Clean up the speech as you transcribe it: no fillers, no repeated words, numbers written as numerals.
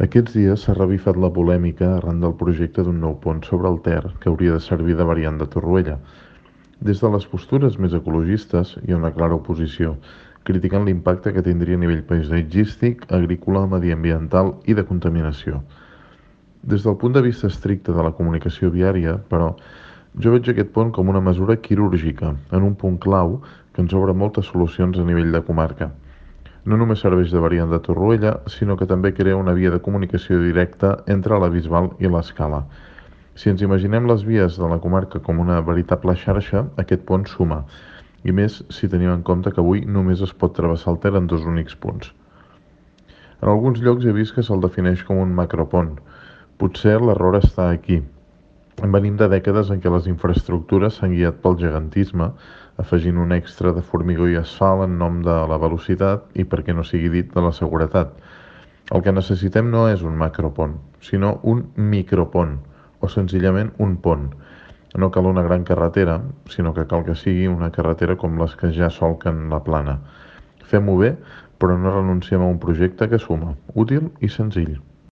Aquests dies s'ha revifat la polèmica arran del projecte d'un nou pont sobre el Ter que hauria de servir de variant de Torroella. Des de les postures més ecologistes hi ha una clara oposició, criticant l'impacte que tindria a nivell paisatgístic, agrícola, mediambiental i de contaminació. Des del punt de vista estricte de la comunicació viària, però, jo veig aquest pont com una mesura quirúrgica, en un punt clau que ens obre moltes solucions a nivell de comarca. No només serveix de variant de Torroella, sinó que també crea una via de comunicació directa entre la Bisbal i l'Escala. Si ens imaginem les vies de la comarca com una veritable xarxa, aquest pont suma, i més si tenim en compte que avui només es pot travessar el Ter en dos únics punts. En alguns llocs he vist que se'l defineix com un macropont. Potser l'error està aquí. Venim de dècades en què les infraestructures s'han guiat pel gegantisme, afegint un extra de formigó i asfalt en nom de la velocitat i, per què no sigui dit, de la seguretat. El que necessitem no és un macropont, sinó un micropont, o senzillament un pont. No cal una gran carretera, sinó que cal que sigui una carretera com les que ja solquen la plana. Fem-ho bé, però no renunciem a un projecte que suma, útil i senzill.